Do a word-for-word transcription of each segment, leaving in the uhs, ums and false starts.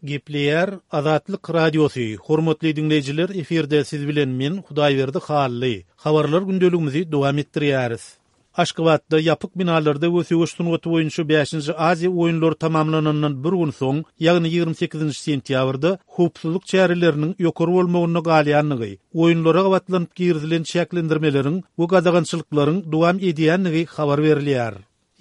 Gepleýär Azatlyk Radiosy, Hormatly diňleýjiler, efirde siz bilen men, Hudaýberdi Hally. Habarlar gündeligimizi dowam etdirýäris. Aşgabatda ýapyk binalarda we söweş sungaty boýunça bäşinji Aziýa oýunlary tamamlanandan bir gün soň, ýagny ýigrimi sekizinji sentýabrda howpsuzlyk çäreleriniň ýokary bolmagynda galýandygy, oýunlara gabatlanyp girizilen çäklendirmeleriň we gadagançylyklaryň dowam edýändigi habar berilýär.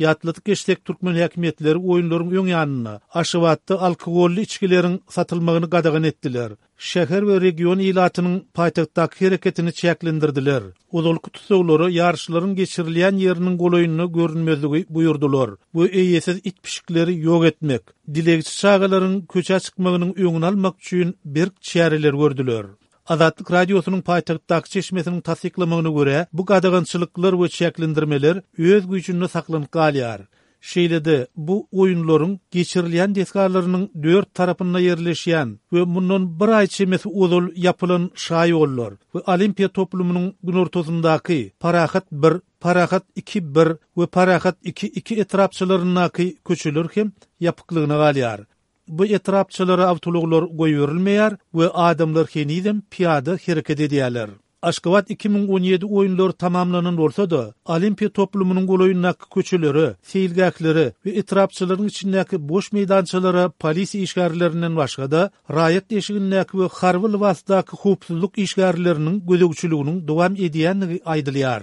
Ýatladyp geçsek, türkmen häkimiýetleri oýunlaryň öň ýanynda Aşgabatda alkogolly içgileriň satylmagyny gadagan etdiler. Şäher we region ilatynyň paýtagtdaky hereketini çäklendirdiler. Ozalky tussaglara ýaryşlaryň geçirilýän ýeriniň golaýynda görünmezligi buýurdylar we eýesiz it-pişikleri ýok etmek, dilegçi çagalaryň köçä çykmagynyň öňüni almak üçin berk çäreler gördüler. Azatlyk Radiosynyň paýtagtdaky çeşmesiniň tassyklamagyna görä, bu gadagançylyklar we çäklendirmeler öz güýjünde saklanyp galýar. Şeýle-de, bu oýunlaryň geçirilýän desgalarynyň dört tarapynda ýerleşýän we mundan bir aý çemesi ozal ýapylan şaýollar we Olimpiýa toplumynyň günortasyndaky Parahat bir, Parahat iki bir we Parahat iki iki etrapçalaryndaky köçeler hem ýapyklygyna galýar. Bu etrapçalara awtoulaglar goýberilmeýär we adamlar henizem pyýada hereket edýärler. Aşgabat iki müň on ýedi oýunlary tamamlanan bolsa-da, Olimpiýa toplumynyň golaýyndaky köçelere, seýilgählere we etrapçalaryň içindäki boş meýdançalara polisiýa işgärlerinden başga-da, raýat eşigindäki we harby lybasdaky howpsuzlyk işgärleriniň gözegçiliginiň dowam edýändigi aýdylýar.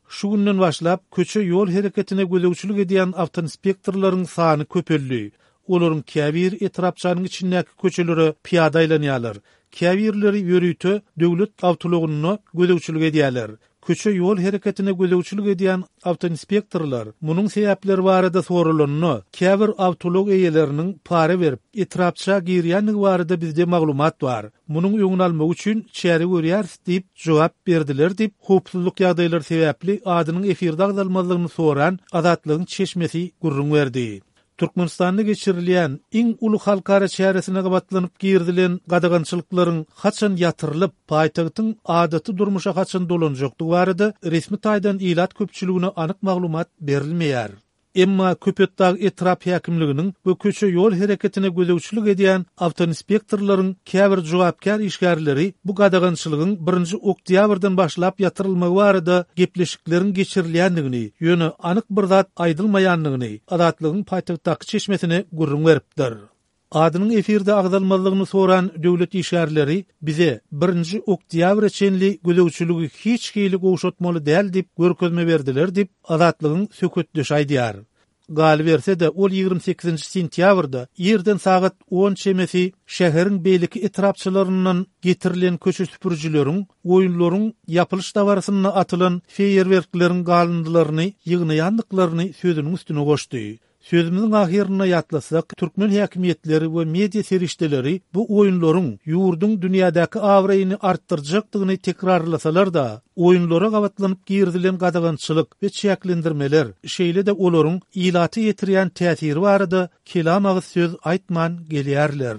Şu günden başlap, köçe-ýol hereketine gözegçilik edýän awtoinspektorlaryň sany köpeldi. Olaryň käbiri etrapçanyň içindäki köçelere pyýada aýlanýarlar, käbirleri ýörite döwlet awtoulagynda gözegçilik edýärler. Köçe-ýol hereketine gözegçilik edýän awtoinspektorlar munuň sebäpleri barada soralanda, käbir awtoulag eýeleriniň para berip, etrapça girýändigi barada bizde maglumat bar. Munuň öňüni almak üçin çäre görýäris diýip jogap berdiler diýip, howpsuzlyk ýagdaýlary sebäpli adynyň efirde agzalmazlygyny soran Azatlygyň çeşmesi gürrüň berdi. Türkmenistanda geçirilýän iň uly halkara çäresine gabatlanyp girizilen gadagançylyklaryň haçan ýatyrylyp, paýtagtyň adaty durmuşa haçan dolanjakdygy barada resmi taýdan ilat köpçüligine anyk maglumat berilmeýär. Emma Köpetdag etrap häkimliginiň we köçe-ýol hereketine gözegçilik edýän awtoinspektorlaryň käbir jogapkär işgärleri bu gadagançylygyň birinji oktýabrdan başlap ýatyrylmagy barada gepleşikleriň geçirilýändigini, ýöne anyk bir zat aýdylmaýandygyny Azatlygyň paýtagtdaky çeşmesine gürrüň beripdir. Adynyň efirde agzalmazlygyny soran döwlet işgärleri bize birinji oktýabra çenli gözegçiligi hiç hili gowşatmaly däl diýip görkezme berdiler diýip, Azatlygyň söhbetdeşi aýdýar. Galyberse-de, ol ýigrimi sekizinji sentýabrda irden sagat on çemesi şäheriň beýleki etrapçalaryndan getirilen köçe süpürijileriň oýunlaryň ýapylyş dabarasynda atylan feýerwerkleriň galyndylaryny ýygnaýandyklaryny sözüniň üstüne goşdy. Sözümiziň ahyrynda ýatlasak, türkmen häkimiýetleri we media serişdeleri bu oýunlaryň ýurduň dünýädäki abraýyny artdyrjakdygyny tekrarlasalar-da, oýunlara gabatlanyp girizilen gadagançylyk we çäklendirmeler, şeýle-de olaryň ilata ýetirýän täsiri barada kelam agyz söz aýtman gelýärler.